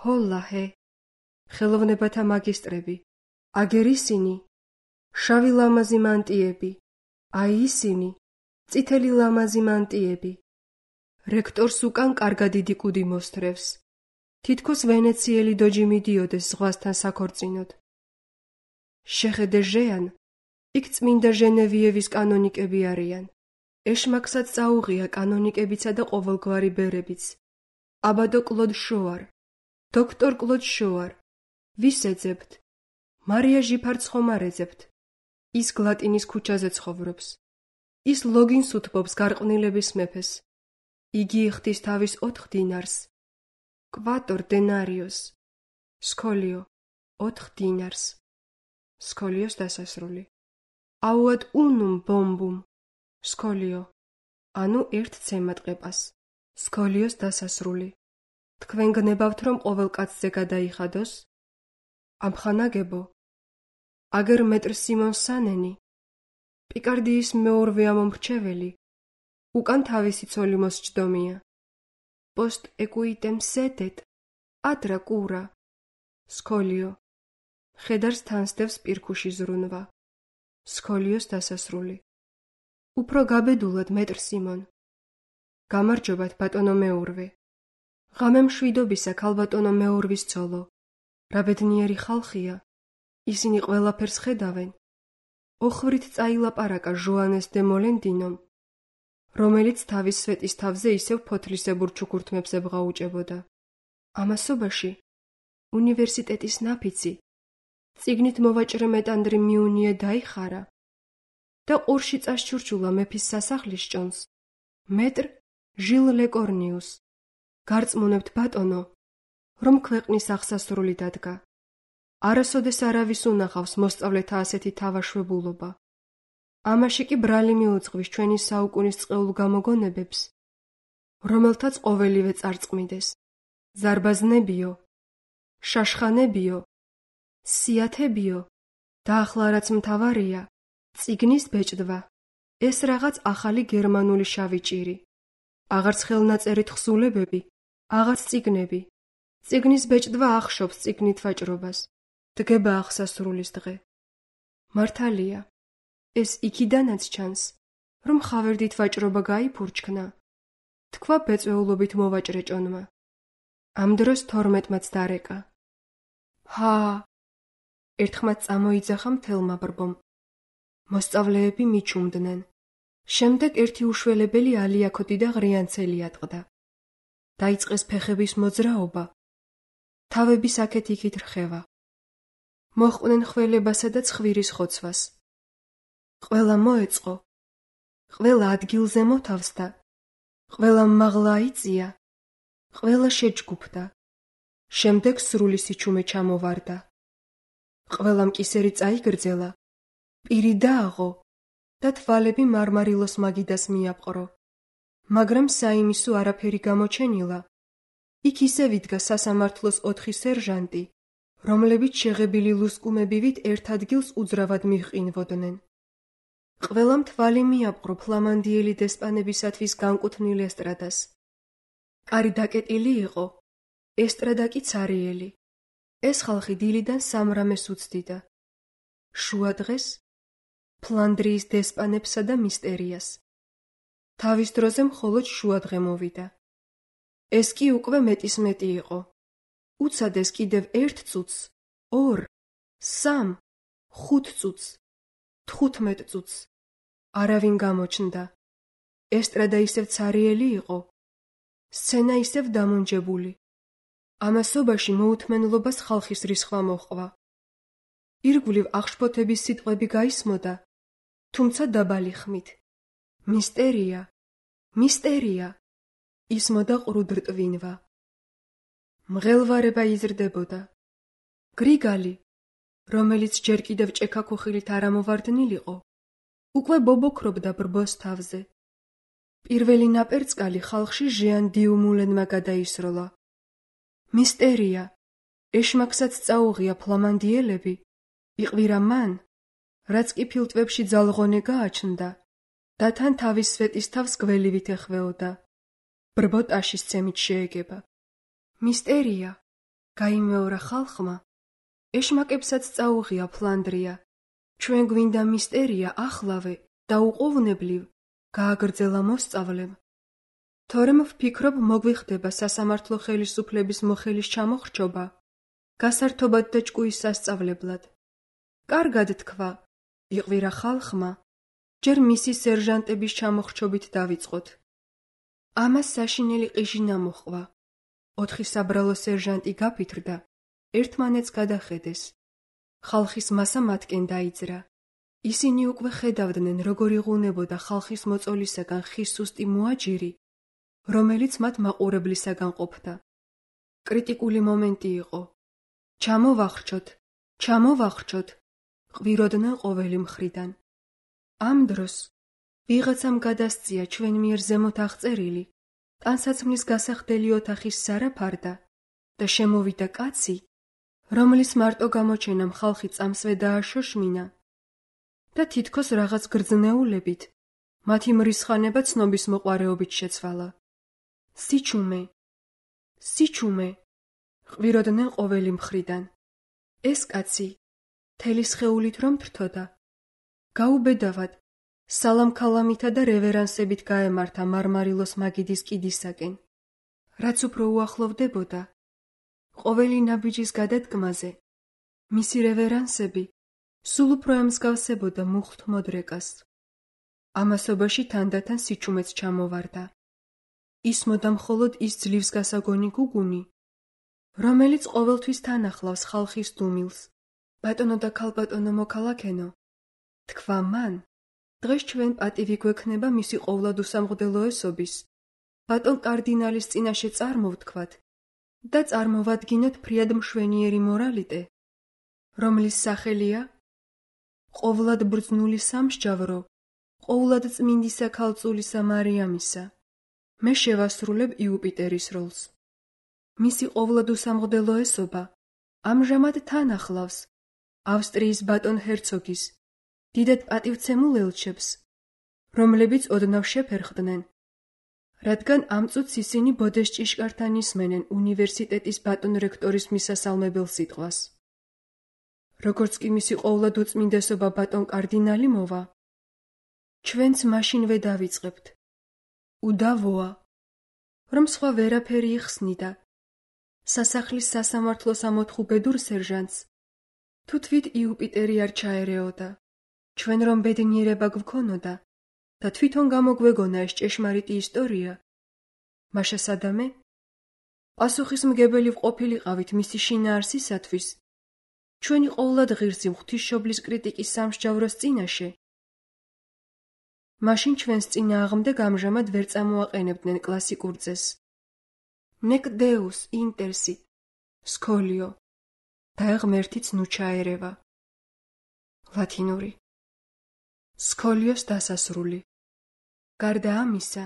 S1: ჰოლაჰე. ხელოვნებათა მაგისტრები. აგერ ისინი, შავი ლამაზი მანტიები, აი ისინი, წითელი ლამაზი მანტიები. რექტორს უკან კარგად დიდი კუდი მოსთრევს. თითქოს ვენეციელი დოჯი მიდიოდეს ზღვასთან საქორწინოდ. შეხედე ჟეან, იქ წმინდა ჟენევიევის კანონიკები არიან. ეშმაკსაც წაუღია კანონიკებიცა და ყოველგვარი ბერებიც. აბადო კლოდ შოარ, დოქტორ კლოდ შოარ. ვის ეძებთ? მარია ჟიფარც ხომ არ ეძებთ? ის გლატინის ქუჩაზე ცხოვრობს. ის ლოგინს უთბობს გარყვნილების მეფეს. იგი იხდის თავის ოთხ დინარს. კვატორ დენარიოს. სკოლიო. ოთხ დინარს. სკოლიოს დასასრული. აუად უნუმ ბომბუმ. სკოლიო. ანუ ერთ ცემატყეპას. სკოლიოს დასასრული. თქვენ გნებავთ რომ ყოველ კაცზე გადაიხადოს? ამხანაგებო. აგერ მეტრ სიმონ სანენი, პიკარდიის მეორვე ამომრჩეველი, უკან თავისი ცოლი მოსჯდომია. პოსტ ეკუიტემ სედეთ, ადრა კურა. სკოლიო. ხედარს თანსდევს პირქუში ზრუნვა. სკოლიოს დასასრული. უფრო გაბედულად მეტრ სიმონ. გამარჯობათ ბატონო მეურვე. ღამე მშვიდობისა ქალბატონო მეურვის ცოლო. რა ბედნიერი ხალხია. ისინი ყველაფერს ხედავენ. ოხრით წაილაპარაკა ჟოანეს დე მოლენდინომ, რომელიც თავის სვეტის თავზე ისევ ფოთლისებურ ჩუქურთმებს ებღაუჭებოდა. ამასობაში უნივერსიტეტის ნაფიცი, წიგნით მოვაჭრე მეტანდრი მიუნიე დაიხარა და ყურში წაშჩურჩულა მეფის სასახლის ჭონს, მეტრ ჟილ ლეკორნიუს. გარწმუნებთ ბატონო, რომ ქვეყნის აღსასრული დადგა. არასოდეს არავის უნახავს მოსწავლეთა ასეთი თავაშვებულობა. ამაში კი ბრალი მიუძღვის ჩვენი საუკუნის წყეულ გამოგონებებს, რომელთაც ყოველივე წარწყმიდეს. ზარბაზნებიო, შაშხანებიო, სიათებიო და ახლა რაც მთავარია, წიგნის ბეჭდვა. ეს რაღაც ახალი გერმანული შავი ჭირი. აღარც ხელნაწერით ხსულებები, აღარც წიგნები. წიგნის ბეჭდვა ახშობს წიგნით ვაჭრობას. დგება აღსასრულის დღე. მართალია, ეს იქიდანაც ჩანს, რომ ხავერდით ვაჭრობა გაიფურჩქნა. თქვა ბეწვეულობით მოვაჭრე ჭონმა. ამ დროს თორმეტმაც დარეკა. ჰა! ერთხმაც წამოიძახა მთელმა ბრბომ. მოსწავლეები მიჩუმდნენ. შემდეგ ერთი უშველებელი ალიაქოდი და ღრიანცელი ატყდა. დაიწყეს ფეხების მოძრაობა. თავების აქეთ-იქით რხევა. მოჰყვნენ ხველებასა და ცხვირის ხოცვას. ყველა მოეწყო. ყველა ადგილზე მოთავსდა. ყველა მაღლა აიწია. ყველა შეჯგუფდა. შემდეგ სრული სიჩუმე ჩამოვარდა. ყველამ კისერი წაიგრძელა, პირი დააღო და თვალები მარმარილოს მაგიდას მიაპყრო. მაგრამ საიმისო არაფერი გამოჩენილა. იქ ისევ იდგა სასამართლოს ოთხი სერჟანტი, რომლებიც შეღებილი ლუსკუმებივით ერთ ადგილს უძრავად მიჰყინვოდნენ. ყველამ თვალი მიაპყრო ფლამანდიელი დესპანებისათვის განკუთვნილ ესტრადას. კარი დაკეტილი იყო, ესტრადა კი ცარიელი. ეს ხალხი დილიდან სამრამეს უცდიდა. შუა დღეს ფლანდრიის დესპანებსა და მისტერიას. თავის დროზე მხოლოდ შუადღე მოვიდა. ეს კი უკვე მეტის მეტი იყო. უცადეს კიდევ ერთ წუთს, ორ, სამ, ხუთ წუთს, თხუთმეტ წუთს. არავინ გამოჩნდა. ესტრადა ისევ ცარიელი იყო. სცენა ისევ დამონჯებული. ამასობაში მოუთმენლობას ხალხის რისხვა მოჰყვა. ირგვლივ აღშფოთების სიტყვები გაისმოდა, თუმცა დაბალი ხმით. მისტერია, მისტერია, ისმოდა ყრუდრტვინვა. მღელვარება იზრდებოდა. გრიგალი, რომელიც ჯერ კიდევ ჭექაქუხილით არ ამოვარდნილიყო, უკვე ბობოქრობდა ბრბოს თავზე. პირველი ნაპერწკალი ხალხში ჟიან დიუმულენმა გადაისროლა. მისტერია, ეშმაკსაც წაუღია ფლამანდიელები, იყვირა მან, რაც კი ფილტვებში ძალღონე გააჩნდა და თან თავის სვეტის თავს გველივით ეხვეოდა. ბრბო ტაშის ცემით შეეგება. მისტერია, გაიმეორა ხალხმა, ეშმაკებსაც წაუღია ფლანდრია. ჩვენ გვინდა მისტერია ახლავე და უყოვნებლივ გააგრძელა მოსწავლემ. თორემ ვფიქრობ მოგვიხდება სასამართლო ხელისუფლების მოხელის ჩამოხრჩობა, გასართობად და ჭკუის სასწავლებლად. კარგად თქვა, იყვირა ხალხმა, ჯერ მისი სერჟანტების ჩამოხრჩობით დავიწყოთ. ამას საშინელი ყიჟინა მოჰყვა. ოთხი საბრალო სერჟანტი გაფითრდა, ერთმანეთს გადახედეს. ხალხის მასა მათკენ დაიძრა. ისინი უკვე ხედავდნენ, როგორ იღუნებოდა ხალხის მოწოლისაგან ხის სუსტი მოაჯირი, რომელიც მათ მაყურებლისაგან ყოფდა. კრიტიკული მომენტი იყო. ჩამოვახრჩოთ, ჩამოვახრჩოთ, ყვიროდნენ ყოველი მხრიდან. ამ დროს ვიღაცამ გადასწია ჩვენ მიერ ზემოთ აღწერილი ტანსაცმლის გასახდელი ოთახის სარაფარდა და შემოვიდა კაცი, რომლის მარტო გამოჩენამ ხალხი წამსვე დააშოშმინა და თითქოს რაღაც გრძნეულებით მათი მრისხანება ცნობის მოყვარეობით შეცვალა. სიჩუმე, სიჩუმე, ყვიროდნენ ყოველი მხრიდან. ეს კაცი, თელი სხეულით რომ თრთოდა, გაუბედავად, სალამ-ქალამითა და რევერანსებით გაემართა მარმარილოს მაგიდის კიდისაკენ. რაც უფრო უახლოვდებოდა, ყოველი ნაბიჯის გადადგმაზე, მისი რევერანსები სულ უფრო ემსგავსებოდა მუხტ მოდრეკას. ამასობაში თანდათან სიჩუმეც ჩამოვარდა. ისმოდა მხოლოდ ის ძლივს გასაგონი გუგუნი, რომელიც ყოველთვის თან ახლავს ხალხის დუმილს. ბატონო და ქალბატონო მოქალაქენო, თქვა მან, დღეს ჩვენ პატივი გვექნება მისი ყოვლად უსამღდელოესობის, ბატონ კარდინალის წინაშე წარმოვთქვათ და წარმოვადგინოთ ფრიად მშვენიერი მორალიტე, რომლის სახელია ყოვლად ბრძნული სამსჯავრო, ყოვლად წმინდისა ქალწულისა მარიამისა. მე შევასრულებ იუპიტერის როლს. მისი ყოვლად უსამღდელოესობა ამჟამად თან ახლავს ავსტრიის ბატონ ჰერცოგის, დიდად პატივცემულ ელჩებს, რომლებიც ოდნავ შეფერხდნენ, რადგან ამ წუთს ისინი ბოდეს ჭიშკართან ისმენენ უნივერსიტეტის ბატონ რექტორის მისასალმებელ სიტყვას. როგორც კი მისი ყოვლად უწმინდესობა ბატონ კარდინალი მოვა, ჩვენც მაშინვე დავიწყებთ. უდავოა, რომ სხვა ვერაფერი იხსნიდა სასახლის სასამართლოს ამოთხუბედურ სერჟანტს, თუ თვით იუპიტერი არ ჩაერეოდა. ჩვენ რომ ბედნიერება გვქონოდა და თვითონ გამოგვეგონა ეს ჭეშმარიტი ისტორია, მაშა სადამე? პასუხისმგებელი ვყოფილიყავით მისი შინაარსისათვის, ჩვენი ყოვლად ღირსი ღვთისმშობლის კრიტიკის სამსჯავროს წინაშე. მაშინ ჩვენს წინააღმდეგ ამჟამად ვერ წამოაყენებდნენ კლასიკურ წესს. Nec Deus intersit, სქოლიო, და ღმერთიც ნუ ჩაერევა. ლათინური. სქოლიოს დასასრული. გარდა ამისა,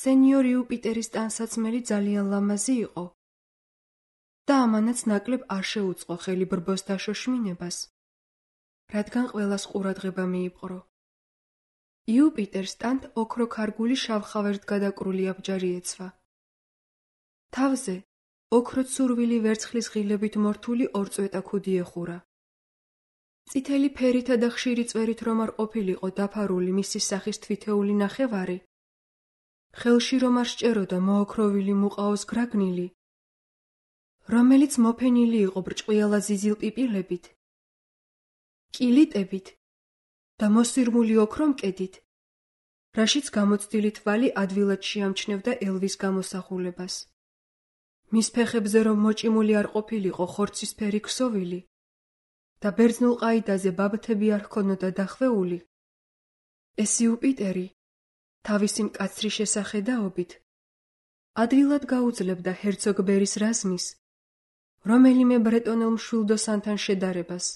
S1: სენიორ იუპიტერის ტანსაცმელი ძალიან ლამაზი იყო და ამანაც ნაკლებ არ შეუწყო ხელი ბრბოს დაშოშმინებას, რადგან ყველას ყურადღება მიიპყრო. იუპიტერს ტანთ ოქროქარგული შავხავერთ გადაკრული აბჯარი ეცვა. თავზე ოქროცურვილი ვერცხლის ღილებით მორთული ორწვეტა ქუდი ეხურა. წითელი ფერითა და ხშირი წვერით რომ არ ყოფილიყო დაფარული მისი სახის თვითეული ნახევარი, ხელში რომ არ სჭეროდა მოოქროვილი მუყაოს გრაგნილი, რომელიც მოფენილი იყო ბრჭყვიალა ზიზილ პიპილებით, კილიტებით და მოსირმული ოქრომკედით, რაშიც გამოცდილი თვალი ადვილად შეამჩნევდა ელვის გამოსახულებას. მის ფეხებზე რომ მოჭიმული არ ყოფილიყო ხორცისფერი ქსოვილი და ბერძნულ ყაიდაზე ბაბთები არ ჰქონოდა დახვეული, ეს იუპიტერი თავისი მკაცრი შესახედაობით ადვილად გაუძლებდა ჰერცოგ ბერის რაზმის რომელიმე ბრეტონელ მშვილდოსანთან შედარებას.